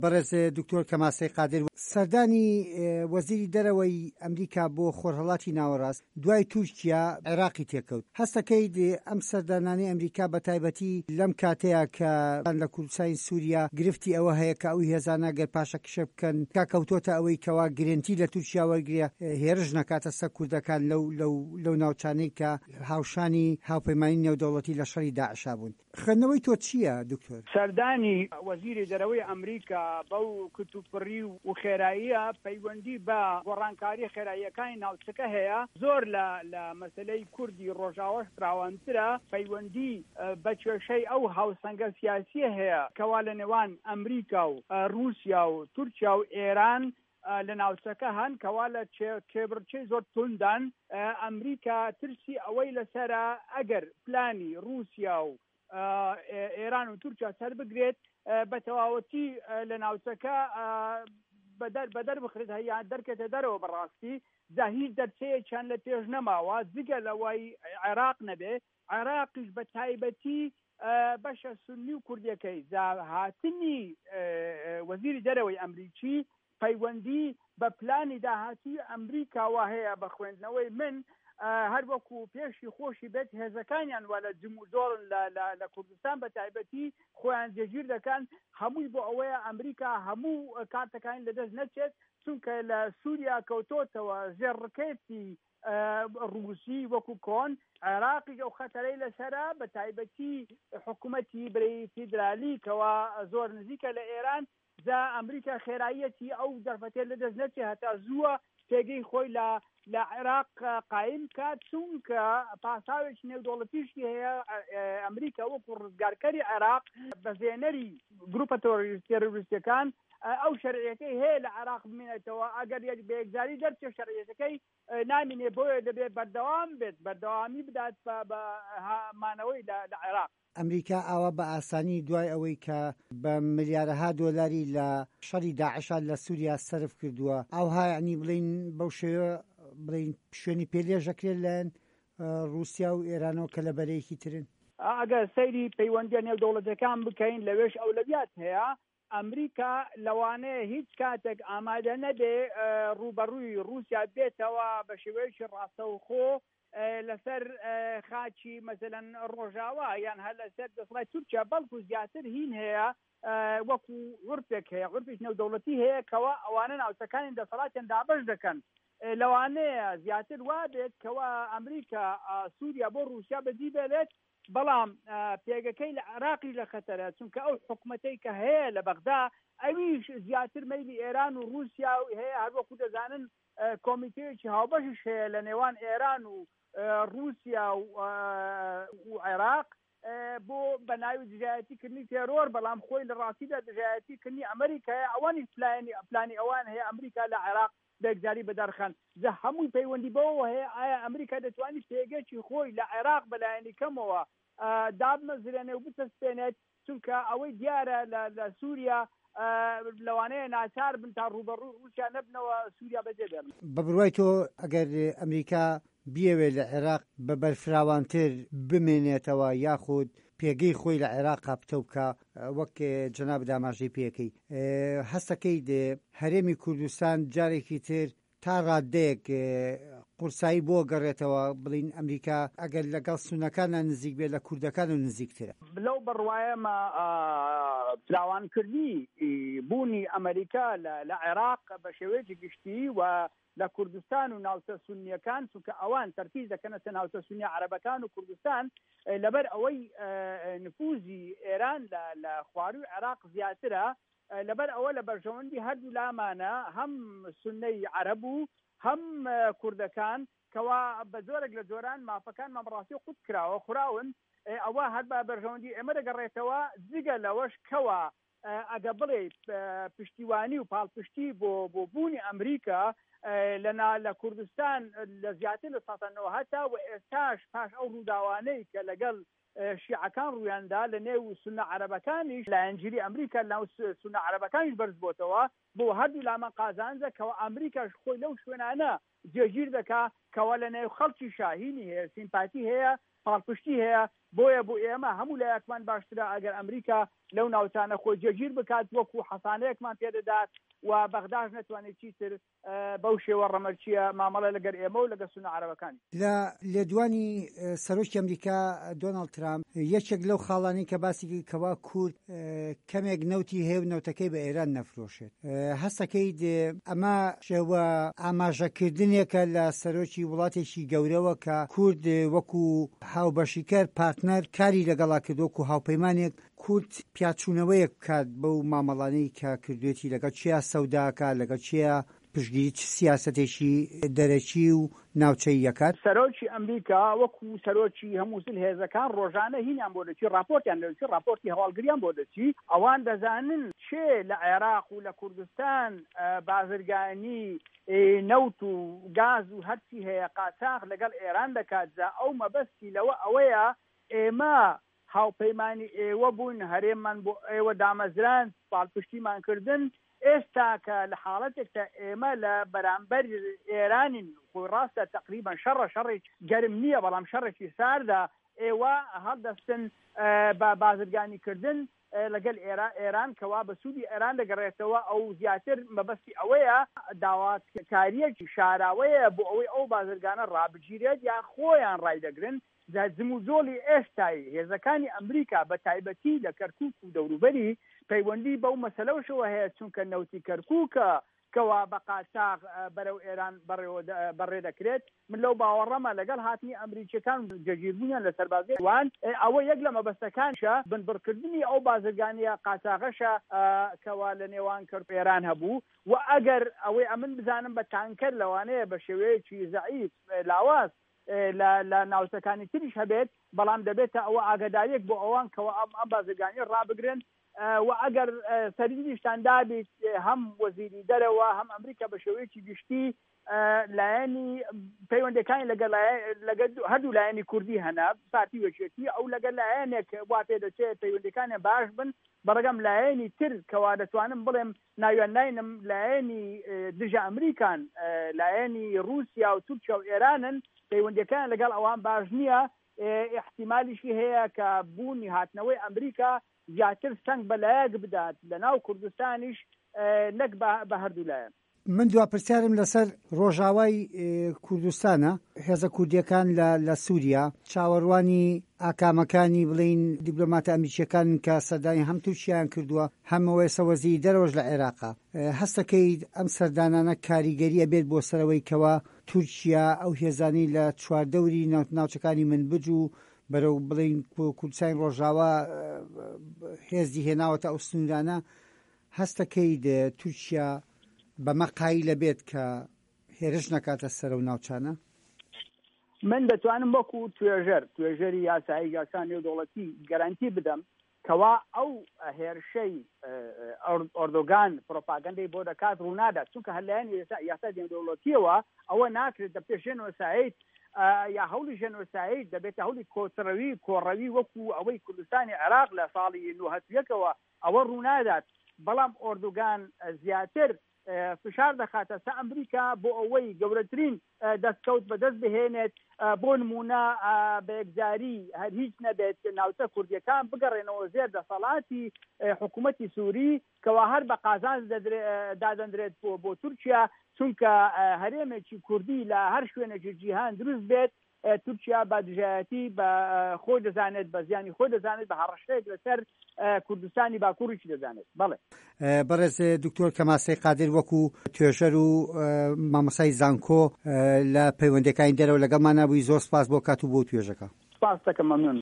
بەڕێز دکتۆر کەمال سەید قادر، سەردانی وەزیری دەرەوەی ئەمریکا بۆ خۆرهەڵاتی ناوەڕاست دوای تورکیا عێراقی تێکەوت، هەستەکەیت ئەم سەردانانەی ئەمریکا بەتایبەتی لەم کاتەیا کە لە کوردستانی سوریا گرفتی ئەوە هەیە کە ئەو هێزانە گەر پاشەکشە بکەن کا کەوتۆتە ئەوەی کەوا گرێنتی لە تورکیا وەرگرێ هێرش نەکاتە سەر کوردەکان لەو لەو لەو ناوچانەی کە هاوشانی هاوپەیمانی نێودەوڵەتی لە شەڕی داعشا بوون. خوێندنەوەی تۆ چییە دکتۆر؟ سەردانی وەزیری دەرەوەی ئەمریکا بەو کتوپڕی و خێراییە پەیوەندی بە گۆڕانکارییە خێراییەکانی ناوچەکە هەیە، زۆر لە لە مەسەلەی کوردی ڕۆژاواش فراوانترە، پەیوەندی بە کێشەی ئەو هاوسەنگە سیاسییە هەیە کەوا لە نێوان ئەمریکا و ڕووسیا و تورکیا و ئێران لە ناوچەکە هەن کەوا لە کێبڕکێی زۆر تونددان، ئەمریکا ترسی ئەوەی لەسەرە ئەگەر پلانی ڕووسیا و ئێران و تورکیا سەربگرێت بە تەواوەتی لە ناوچەکە بەدەر بەدەر بخرێت هەیە دەرکێتە دەرەوە بەڕاستی جا هیچ دەرچەیەکیان لە پێش نەماوە جگە لەوەی عێراق نەبێ عێراقیش بە تایبەتی بەشە سوننی و کوردیەکەی، جا هاتنی وەزیری دەرەوەی ئەمریکی پەیوەندی بە پلانی داهاتووی ئەمریکاوە هەیە، بە خوێندنەوەی من هەر وەکو پێشی خۆشی بێت هێزەکانیان وا لە جموجۆڵن لە کوردستان بە تایبەتی خۆیان جێگیر دەکەن، هەمووی بۆ ئەوەیە ئەمریکا هەموو کارتەکانی لەدەست نەچێت، چونکە لە سوریا کەوتۆتەوە ژێر ڕکێفی ڕووسی وەکو کۆن، عێراقیش ئەو خەتەرەی لەسەرە، بە تایبەتی حکومەتی برەی فیدرالی کەوا زۆر نزیکە لە ئێران، جا ئەمریکا خێراییەتی ئەو دەرفەتەی لەدەست نەچێ هەتا زووە پێگەی خۆی لە لە عێراق قایم بکات، چونکە پاساوێکی نێودەوڵەتیشی هەیە، ئەمریکا وەکو ڕزگارکەری عێراق، بەزێنەری گروپە تێرۆریستیەکان، ئەو شەرعیەتەی هەیە لە عێراق بمێنێتەوە، ئەگەر یەک بە یەکجاری دەرچێت شەرعیەتەکەی نامینێ، بۆیە دەبێت بەردەوام بێت، بەردەوامی بدات بە مانەوەی لە عێراق. ئەمریکا ئاوا بە ئاسانی دوای ئەوەی کە بە ملیارەها دۆلاری لە شەڕی داعشا لە سوریا سەرف کردووە، ئاوها یەعنی بڵێین بەو شێوە بڵێین شوێنی پێ لێژ ئەکرێت لەلایەن ڕووسیا و ئێرانەوە کە لە بەرەیەکی ترن؟ ئەگەر سەیری پەیوەندییە نێودەوڵەتییەکان بکەین لەوێش ئەولەویات هەیە، ئەمریکا لەوانەیە هیچ کاتێک ئامادە نەبێ ڕووبەڕووی ڕووسیا بێتەوە بە شێوەیەکی ڕاستەوخۆ لەسەر خاکی مەسەلەن ڕۆژاوا یان هەر لەسەر دەسەڵاتی تورکیا، بەڵکو زیاتر هین هەیە وەکو عورفێک هەیە، عورفێکی نێودەوڵەتی هەیە کەوا ئەوانە ناوچەکانی دەسەڵاتیان دابەش دەکەن. لەوانەیە زیاتر وابێت کەوا ئەمریکا سووریا بۆ ڕووسیا بەجی بێلێت، بەڵام پێگەکەی لە عێراقیش لە خەتەرە، چونکە ئەو حکومەتەی کە هەیە لە بەغدا ئەویش زیاتر مەیلی ئێران و ڕووسیا هەیە، هەروەکو دەزانن کۆمیتەیەکی هاوبەشیش هەیە لە نێوان ئێران و ڕووسیا و عێراق بۆ بە ناوی دژایەتی کردنی تێرۆر، بەڵام خۆی لە ڕاستیدا دژایەتی کردنی ئەمریکایە، ئەوانیش پلانی ئەوان هەیە ئەمریکا لە عێراق بەیەکجاری بەدەرخەن، جا هەمووی پەیوەندی بەوەوە هەیە ئایا ئەمریکا دەتوانیت پێگەکی خۆی لە عێراق بەلایەنی کەمەوە دابمەزرێنێ و بچەسپێنێت، چونکە ئەوەی دیارە لە سوریا لەوانەیە ناچار بن تا ڕووبەڕووی ڕووسیا نەبنەوە سوریا بەجێ بێڵن. بە بڕوای تۆ ئەگەر ئەمریکا بیەوێت لە عێراق بە بەرفراوانتر بمێنێتەوە یاخود پێگەی خۆی لە عێراقا پتەو بکا وەک جەنابت ئاماژەی پێکەی هەستەکەیت هەرێمی کوردستان جارێکی تر تا ڕاددەیەک قورسایی بۆ گەڕێتەوە بڵین ئەمریکا ئەگەر لەگەڵ سونەکانە نزیک بێت لە کوردەکان و نزیکترە. لەو بڕوایەمە فراوانکردنی بوونی ئەمریکا لە عێراق بە شێوەیەکی گشتی و لە کوردستان و ناوچە سوننیەکان، چونکە ئەوان تەرکیز دەکەنە سەر ناوچە سوننیە عەرەبەکان و کوردستان، لەبەر ئەوەی نفوزی ئێران لە خوارووی عێراق زیاترە، لەبەر ئەوە لە بەرژەوەندی هەردوو لامانە هەم سوننەی عەرەب و هەم کوردەکان، کەوا بە جۆرێک لە جۆران مافەکانمان بەڕاستی قوت کراوە، خوراون، ئەوە هەر بە بەرژەوەندی ئێمە دەگەڕێتەوە، جگە لەوەش کەوا ئەگە بڵێی پشتیوانی و پاڵپشتی بۆ بۆ بوونی ئەمریکا لە نا لە کوردستان لە زیاتر لە ساتا نۆهەتا و ئێستاش پاش ئەو ڕووداوانەی کە لەگەڵ شیعەکان ڕوویاندا لە نێو سوننە عەرەبەکانیش لایەنگیری ئەمریکا لەناو سوننە عەرەبەکانیش بەرز بۆتەوە بۆ هەردوو لامان قازانجە کەوا ئەمریکاش خۆی لەو شوێنانە جێگیر دەکا کەوا لە نێو خەڵکیشا هینی هەیە سیمپاتی هەیە پاڵپشتی هەیە. بۆیە بۆ ئێمە هەموو لایەکمان باشترە ئەگەر ئەمریکا لەو ناوچانە خۆی جێگیر بکات وەکو حەسانەیەکمان پێدەدات و بەغداش نەتوانێت چیتر بەو شێوە ڕەمەرکییە مامەڵە لەگەر ئێمە و لەگەر سوننە عەرەبەکانی. لە لێدوانی سەرۆکی ئەمریکا دۆناڵد ترامپ یەکێک لەو خاڵانەی کە باسی کرد کەوا کورد کەمێک نەوتی هەیە و نەوتەکەی بە ئێران نەفرۆشێت هەستەکەیت ئەمە شێوە ئاماژەکردنێکە لە سەرۆکی وڵاتێکی گەورەوە کە کورد وەکو هاوبەشیکەر پارتنەر کاری لەگەڵا کرد وەکو هاوپەیمانێک کورد پیاچوونەوەیەک بکات بەو مامەڵانەی کە کردوێتی لەگەڵ کێیا سەودا ئەکات، لەگەڵ کێیا پشتگیری چ سیاسەتێکی دەرەکی و ناوچەیی ئەکات. سەرۆکی ئەمریکا وەکو سەرۆکی هەموو زلهێزەکان ڕۆژانە هینیان بۆ دەچی ڕاپۆرتیان لێ دەچی ڕاپۆرتی هەواڵگریان بۆ دەچی ئەوان دەزانن کێ لە عێراق و لە کوردستان بازرگانی نەوت و گاز و هەرچی هەیە قاچاخ لەگەڵ ئێران دەکات جا ئەو مەبەستی لەوە ئەوەیە ئێمە هاوپەیمانی ئێوە بووین، هەرێممان بۆ ئێوە دامەزراند، پاڵپشتیمان کردن، ئێستا کە لە حاڵەتێکدا ئێمە لە بەرامبەر ئێرانین، خۆی ڕاستە تەقریبەن شەڕە، شەڕێکی گەرم نییە، بەڵام شەڕێکی ساردە، ئێوە هەڵدەستن بە بازرگانی کردن لەگەل ئێران کەوا بە سوودی ئێران دەگەڕێتەوە، ئەو زیاتر مەبەستی ئەوەیە داواکارییەکی شاراوەیە بۆ ئەوەی ئەو بازرگانە ڕابگیرێت یا خۆیان ڕایدەگرن، جا جموجۆڵی ئێستای هێزەکانی ئەمریکا بە تایبەتی لە کەرکوک و دەوروبەری پەیوەندی بەو مەسەلەوشەوە هەیە چونکە نەوتی کەرکوکە کەوا بە قاچاغ بەرەو ئێران بەڕێ دەکرێت من لەو باوەڕەمە لەگەڵ هاتنی ئەمریکیەکان و جێگیربوونیان لە سەربازگەی وان ئەوە یەک لە مەبەستەکانیشە بنبڕکردنی ئەو بازرگانیە قاچاغەشە کەوا لە نێوان کەرکوک ئێران هەبوو و ئەگەر ئەوەی ئەمن بزانم بە تانکەر لەوانەیە بە شێوەیەکی زەعیف لاواز لە لە ناوچەکانی تریش هەبێت، بەڵام دەبێتە ئەوە ئاگاداریەک بۆ ئەوان کەوا ئەم ئەم بازرگانیە ڕابگرن و ئەگەر سەرنجیشتان دابیت هەم وەزیری دەرەوە هەم ئەمریکا بە شێوەیەکی گشتی لایەنی پەیوەندەکانی لەگەڵ لەگەڵ هەردوو لایەنی کوردی هەنە پارتی وەکێتی ئەو لەگەڵ لایەنێک وا پێ دەچێت پەیوەندەکانیان باش بن بەڕگەم لایەنی تر کەوا دەتوانم بڵێم ناویان ناینم لایەنی دژە ئەمریکان، لایەنی ڕووسیا و تورکیا و ئێرانن، پەیوەندیەکانیان لەگەڵ ئەوان باش نییە، ئیحتیمالیشی هەیە کە بوونی هاتنەوەی ئەمریکا زیاتر سەنگ بە لایەک بدات لەناو کوردستانیش نەک بە هەردوو لایەن. من دوا پرسیارم لەسەر ڕۆژاوای کوردستانە، هێزە کوردییەکان لە لە سووریا چاوەڕوانی ئاکامەکانی بڵێین دیپلۆماتە ئەمریکییەکانن کە سەردانی هەم تورکیایان کردووە هەم ئێستا وەزیری دەرەوەش لە عێراقە. هەستەکەیت ئەم سەردانانە کاریگەری ئەبێت بۆ سەر ئەوەی کەوا تورکیا ئەو هێزانەی لە چواردەوری ناوچەکانی منبج و بەرەو بڵێین کوردستانی ڕۆژاوا هێزی هێناوەتە ئەو سنوورانە هەستەکەیت تورکیا بەمە قایلە بێت کە هێرش نەکاتە سەر ئەو ناوچانە؟ من دەتوانم وەکو توێژەر، توێژەری یاسایی یاسا نێودەوڵەتی گەرەنتی بدەم کەوا ئەو هێرشەی ئۆردۆگان پرۆپاگەندەی بۆ دەکات ڕوونادات، چونکە هەر لایەنی یاسا نێودەوڵەتیەوە ئەوە ناکرێت، دەبێتە ژێنۆساید یا هەوڵی ژێنۆساید، دەبێتە هەوڵی کۆچڕەوی، کۆڕەوی وەکو ئەوەی کوردستانی عێراق لە ساڵی 91ەوە ئەوە ڕوونادات، بەڵام ئۆردوگان زیاتر فشار دەخاتە سە ئەمریکا بۆ ئەوەی گەورەترین دەستکەوت بەدەست بهێنێت، بۆ نموونە بە یەکجاری هەر هیچ نەبێت ناوچە کوردییەکان بگەڕێنەوە ژێر دەسەڵاتی حکوومەتی سووری کەوا هەر بە قازانج دادەندرێت بۆ تورکیا، چونکە هەرێمێکی کوردی لە هەر شوێنێکی جیهان دروست بێت تورکیا بە دژایەتی بە خۆی دەزانێت، بە زیانی خۆی دەزانێت، بە هەڕەشەیەک لەسەر کوردستانی باکووریشی دەزانێت. بەڵێ. بەڕێز دکتۆر کەمال سەید قادر وەکو توێژەر و مامۆستای زانکۆ لە پەیوەندیەکانی دەرەوە لەگەڵمانا بووی زۆر سپاس بۆ کات و بۆ توێژەکە. سپاست دەکەم مەمنونم.